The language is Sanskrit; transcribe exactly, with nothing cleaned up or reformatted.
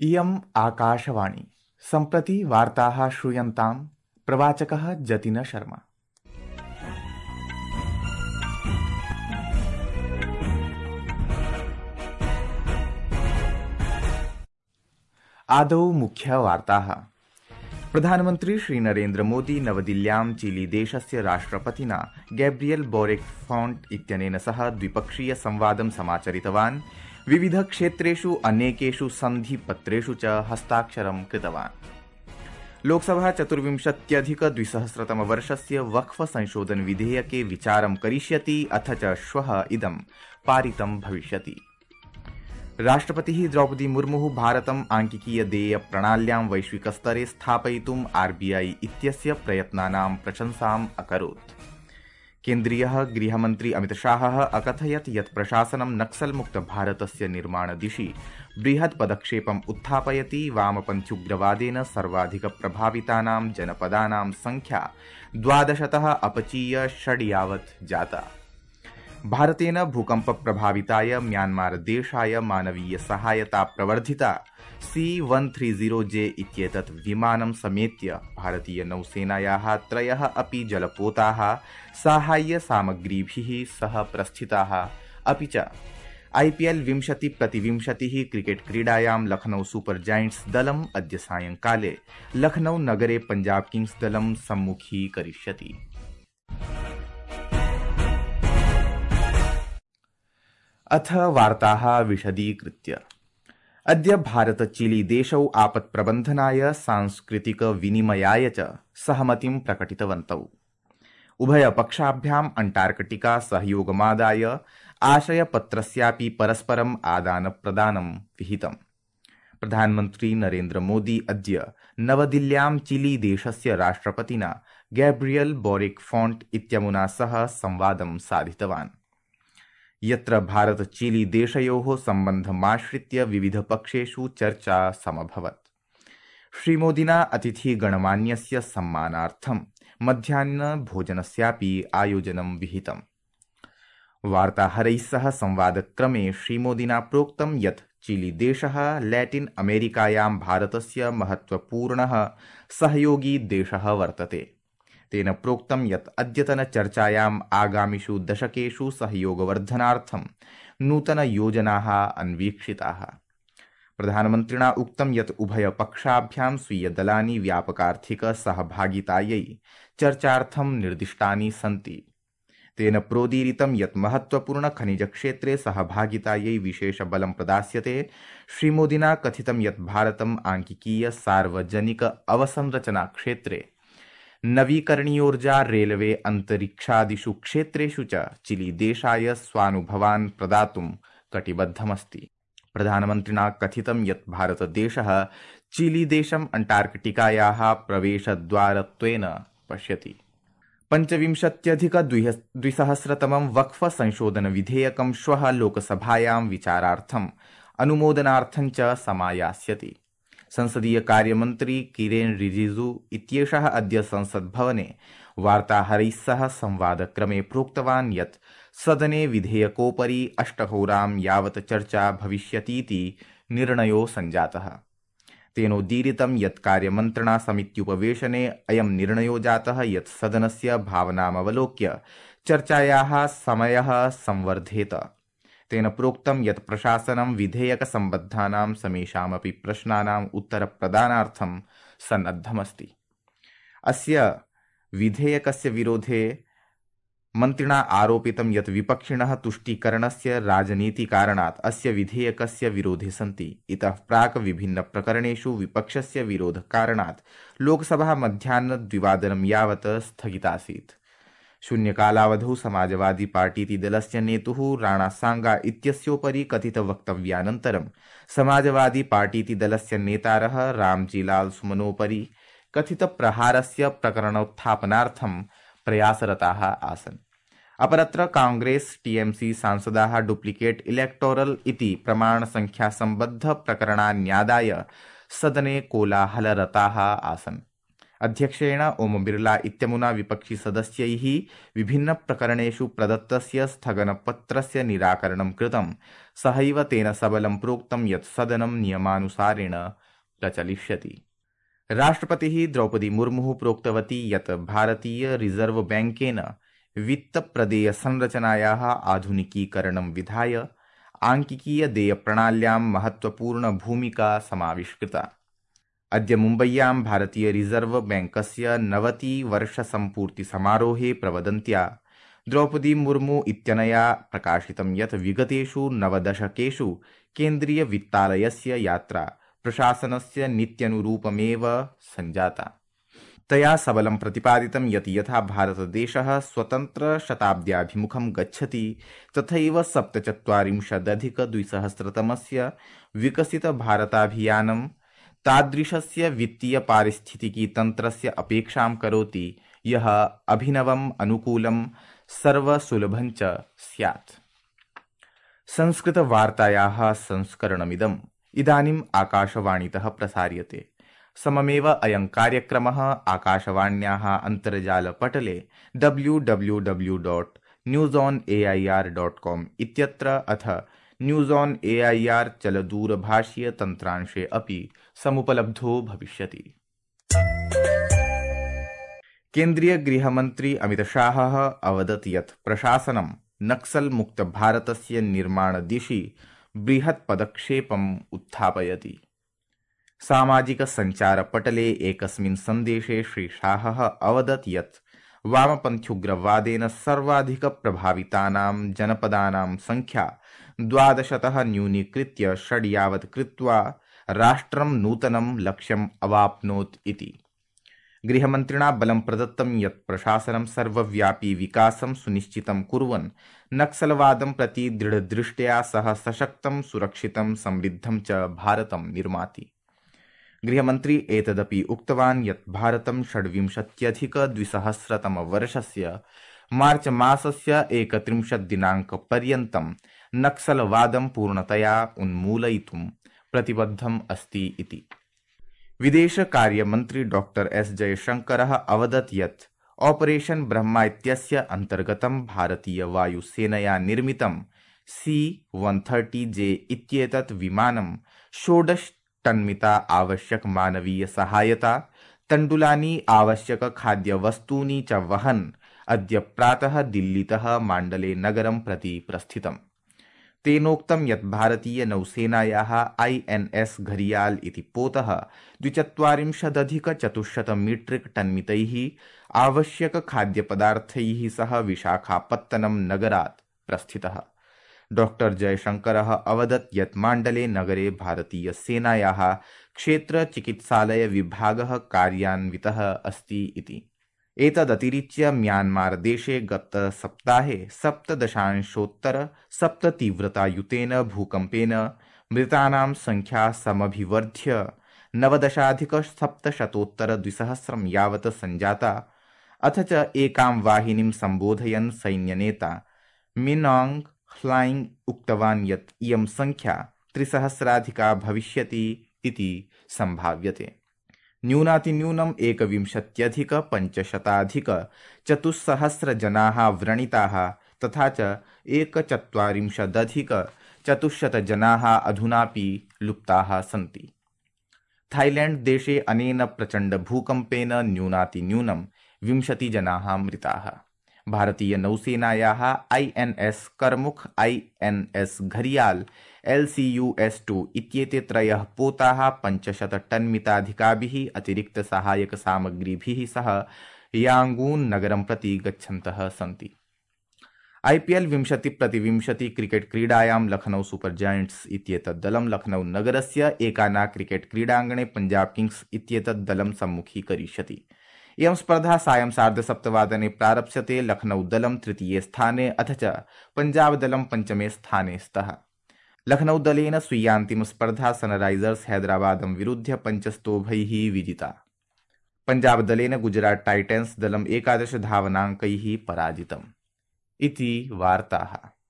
इयम् आकाशवाणी। सम्प्रति वार्ताः श्रूयन्ताम्। प्रवाचकः जतिन शर्मा। आदौ मुख्यवार्ताः। प्रधानमन्त्री श्री नरेन्द्र मोदी नवदिल्ल्यां चिली देशस्य राष्ट्रपतिना गैब्रियल बोरिक फॉन्ट इत्यनेन सह द्विपक्षीय संवादं समाचरितवान्। विविध क्षेत्रेषु अनेकेषु सन्धिपत्रेषु च हस्ताक्षरं कृतवान्। लोकसभा चतुर्विंशत्यधिक द्विसहस्रतमवर्षस्य वक्फ संशोधन विधेयके विचारं करिष्यति अथ च श्वः इदं पारितं भविष्यति। राष्ट्रपतिः द्रौपदी मुर्मुः भारतम् आंकिकीय देय प्रणाल्यां वैश्विकस्तरे स्थापयितुम् आरबीआई इत्यस्य प्रयत्नानां प्रशंसाम् अकरोत्। केन्द्रीयः गृहमन्त्री अमितशाहः अकथयत् यत् प्रशासनं नक्सलमुक्त भारतस्य निर्माणदिशि बृहत् पदक्षेपम् उत्थापयति। वामपन्थ्युग्रवादेन सर्वाधिक प्रभावितानां जनपदानां संख्या द्वादशतः अपचीय षड् यावत् जाता। भारतेन भूकंप प्रभाविताय म्यांमार देशाय मानवीय सहायता प्रवर्धिता। सी वन थ्री जीरो जे इत्येतत् विमानं समेत्य भारतीय नौसेनायाः त्रयः अपि जलपोताः साहाय्य सामग्रीभिः सह प्रस्थिताः। अपि च आईपीएल विंशति प्रतिविंशतिः क्रिकेट क्रीडायां लखनऊ सुपर जायंट्स दलम् अद्य सायंकाले लखनऊ नगरे पंजाब किंग्स दलं सम्मुखीकरिष्यति। अथ वार्ताः विशदीकृत्य। अद्य भारत चिली देशौ आपत्प्रबन्धनाय सांस्कृतिक विनिमयाय च सहमतिं प्रकटितवन्तौ। उभयपक्षाभ्याम् अंटार्कटिका सहयोगमादाय आशयपत्रस्यापि परस्परम् आदानप्रदानं विहितम्। प्रधानमन्त्री नरेन्द्र मोदी अद्य नवदिल्ल्यां चिली देशस्य राष्ट्रपतिना गैब्रियल बोरिक फॉन्ट इत्यमुना सह संवादं साधितवान्, यत्र भारत चिली देशयोः सम्बन्धमाश्रित्य विविधपक्षेषु चर्चा समभवत्। श्रीमोदिना अतिथिगणमान्यस्य सम्मानार्थं मध्याह्नभोजनस्यापि आयोजनं विहितम्। वार्ताहरैः सह संवादक्रमे श्रीमोदिना प्रोक्तं यत् चिली देशः लैटिन अमेरिकायां भारतस्य महत्वपूर्णः सहयोगी देशः वर्तते। तेन प्रोक्तं यत् अद्यतनचर्चायाम् आगामिषु दशकेषु सहयोगवर्धनार्थं नूतनयोजनाः अन्वीक्षिताः। प्रधानमन्त्रिणा उक्तं यत् उभयपक्षाभ्यां स्वीयदलानि व्यापकार्थिकसहभागितायै चर्चार्थं निर्दिष्टानि सन्ति। तेन प्रोदीरितं यत् महत्वपूर्णखनिजक्षेत्रे सहभागितायै विशेषबलं प्रदास्यते। श्रीमोदिना कथितं यत् भारतम् आंकिकीय सार्वजनिक अवसंरचना क्षेत्रे नवीकरणीयोर्जा रेलवे अंतरिक्षादिषु क्षेत्रेषु च चिली देशाय स्वानुभवान् प्रदातुं कटिबद्धमस्ति। प्रधानमन्त्रिणा कथितं यत् भारतदेशः चिली देशम् अंटार्कटिकायाः प्रवेशद्वारत्वेन पश्यति। पंचविंशत्यधिक द्विसहस्रतमं वक्फ संशोधन विधेयकं श्वः लोकसभायां विचारार्थम् अनुमोदनार्थं च समायास्यति। संसदीय कार्यमन्त्री किरेन रिजिजू इत्येषः अद्य संसद्भवने वार्ताहरैः सह संवादक्रमे प्रोक्तवान् यत् सदने विधेयकोपरि अष्टहोरां यावत् चर्चा भविष्यतीति निर्णयो सञ्जातः। तेनोदीरितं यत् कार्यमन्त्रिणा समित्युपवेशने अयं निर्णयो जातः यत् सदनस्य भावनामवलोक्य चर्चायाः समयः संवर्धेत। तेन प्रोक्तं यत् प्रशासनं विधेयकसम्बद्धानां समेषामपि प्रश्नानाम् उत्तरप्रदानार्थं सन्नद्धमस्ति। अस्य विधेयकस्य विरोधे मन्त्रिणा आरोपितं यत् विपक्षिणः तुष्टीकरणस्य राजनीतिकारणात् अस्य विधेयकस्य विरोधे सन्ति। इतः प्राक् विभिन्नप्रकरणेषु विपक्षस्य विरोधकारणात् लोकसभा मध्याह्नद्विवादनं यावत् स्थगितासीत्। शून्यकालावधौ समाजवादी पार्टीति दलस्य नेतुः राणा सांगा इत्यस्योपरि कथितवक्तव्यानन्तरं समाजवादी पार्टीति दलस्य नेतारः रामजीलाल सुमनोपरि कथितप्रहारस्य प्रकरणोत्थापनार्थं प्रयासरताः आसन्। अपरत्र कांग्रेस टीएमसी सांसदाः डुप्लिकेट इलेक्टोरल इति प्रमाणसंख्यासम्बद्ध प्रकरणान्यादाय सदने कोलाहलरताः आसन्। अध्यक्षेण ओम बिरला इत्यमुना विपक्षी सदस्यैः विभिन्नप्रकरणेषु प्रदत्तस्य स्थगनपत्रस्य निराकरणं कृतं। सहैव तेन सबलं प्रोक्तं यत् सदनं नियमानुसारेण प्रचलिष्यति। राष्ट्रपतिः द्रौपदी मुर्मुः प्रोक्तवती यत् भारतीय रिजर्व बैंकेन वित्तप्रदेयसंरचनायाः आधुनिकीकरणं विधाय आंकिकीयदेयप्रणाल्यां महत्त्वपूर्णभूमिका समाविष्कृता। अद्य मुम्बय्यां भारतीय रिजर्व बैंकस्य नवतिवर्षसम्पूर्तिसमारोहे प्रवदन्त्या द्रौपदी मुर्मू इत्यनया प्रकाशितं यत् विगतेषु नवदशकेषु केन्द्रीयवित्तालयस्य यात्रा प्रशासनस्य नीत्यनुरूपमेव सञ्जाता। तया सबलं प्रतिपादितं यत् यथा भारतदेशः स्वतन्त्रशताब्द्याभिमुखं गच्छति तथैव सप्तचत्वारिंशदधिकद्विसहस्रतमस्य विकसितभारताभियानं तादृशस्य वित्तीयपारिस्थितिकीतन्त्रस्य अपेक्षां करोति यः अभिनवम् अनुकूलं सर्वसुलभं च स्यात्। संस्कृतवार्तायाः संस्करणमिदम् इदानीम् आकाशवाणीतः प्रसार्यते। सममेव अयं कार्यक्रमः आकाशवाण्याः अन्तर्जालपटले W W W dot news on A I R dot com इत्यत्र अथ news on A I R चलदूरभाषीयतन्त्रांशे अपि समुपलब्धो भविष्यति। केन्द्रीय गृहमन्त्री अमितशाहः अवदत् यत् प्रशासनं नक्सल्मुक्तभारतस्य निर्माणदिशि बृहत् पदक्षेपम् उत्थापयति। सामाजिकसञ्चारपटले एकस्मिन् सन्देशे श्रीशाहः अवदत् यत् वामपन्थ्युग्रवादेन सर्वाधिकप्रभावितानां जनपदानां संख्या द्वादशतः न्यूनीकृत्य षड् यावत् कृत्वा राष्ट्रं नूतनं लक्ष्यम् अवाप्नोत् इति। गृहमन्त्रिणा बलं प्रदत्तं यत् प्रशासनं सर्वव्यापी विकासं सुनिश्चितं कुर्वन् नक्सलवादं प्रति दृढदृष्ट्या सह सशक्तं सुरक्षितं समृद्धं च भारतं निर्माति। गृहमन्त्री एतदपि उक्तवान् यत् भारतं षड्विंशत्यधिकद्विसहस्रतमवर्षस्य मार्च मासस्य एकत्रिंशत् दिनाङ्कपर्यन्तं नक्सलवादं पूर्णतया उन्मूलयितुं प्रतिबद्धम् अस्ति इति। विदेशकार्यमन्त्री डॉक्टर एस जयशंकरः अवदत् यत् ऑपरेशन ब्रह्मा इत्यस्य अन्तर्गतं भारतीयवायुसेनया निर्मितं सी वन थर्टी जे इत्येतत् विमानं षोडश टन्मिता आवश्यक मानवीय सहायता तण्डुलानि आवश्यक खाद्यवस्तूनि च वहन् अद्य प्रातः दिल्लीतः माण्डले नगरं प्रति प्रस्थितम्। तेनोक्तं यत् भारतीय नौसेनायाः आई एन एस घरियाल इति पोतः द्विचत्वारिंशदधिकचतुश्शत मीट्रिक टन्मितैः आवश्यक खाद्यपदार्थैः सह विशाखापत्तनम नगरात् प्रस्थितः। डॉक्टर जयशंकरः अवदत् यत् माण्डले नगरे भारतीय सेनायाः क्षेत्रचिकित्सालय विभागः कार्यान्वितः अस्ति इति। एतदतिरिच्य म्यान्मार देशे गत सप्ताहे सप्तदशांशोत्तर सप्त तीव्रतायुतेन भूकम्पेन मृतानां संख्या समभिवर्ध्य नवदशाधिक सप्तशतोत्तर द्विसहस्रं यावत् संजाता। अथ च एकां वाहिनीं सम्बोधयन् सैन्यनेता मिनांग ह्लाइंग उक्तवान् यत् इयं संख्या त्रिसहस्राधिका भविष्यति इति संभाव्यते। न्यूनातिन्यूनम् एकविंशत्यधिक पञ्चशताधिक चतुस्सहस्र जनाः व्रणिताः तथा च एकचत्वारिंशदधिक चतुश्शत जनाः अधुनापि लुप्ताः सन्ति। थाईलैंड देशे अनेन प्रचण्ड भूकम्पेन न्यूनातिन्यूनं विंशति जनाः मृताः। भारतीय नौसेनायाः I N S Karmuk, I N S Gharial, L C U S two इत्येते त्रयः पोताः पञ्चशत टन्मिताधिकाभिः अतिरिक्त सहायक सामग्रीभिः सह यांगून नगरं प्रति गच्छन्तः सन्ति। आईपीएल विंशति प्रतिविंशति क्रिकेट क्रीडायां लखनऊ सुपर जायंट्स इत्येतत् दलं लखनऊ नगरस्य एकाना क्रिकेट क्रीडाङ्गणे पंजाब किंग्स इत्येतत् दलं सम्मुखीकरिष्यति। इयं स्पर्धा सायं सार्धसप्तवादने प्रारप्स्यते। लखनऊ दलं तृतीये स्थाने अथ च पंजाब दलं पञ्चमे स्थाने स्तः। लखनऊ दलेन स्वीयान्तिम स्पर्धा सनराइजर्स हैदराबादं विरुध्य पञ्चस्तोभैः विजिता। पंजाब दलेन गुजरात टाइटन्स दलम् एकादश धावनाङ्कैः पराजितम्। इति वार्ताः।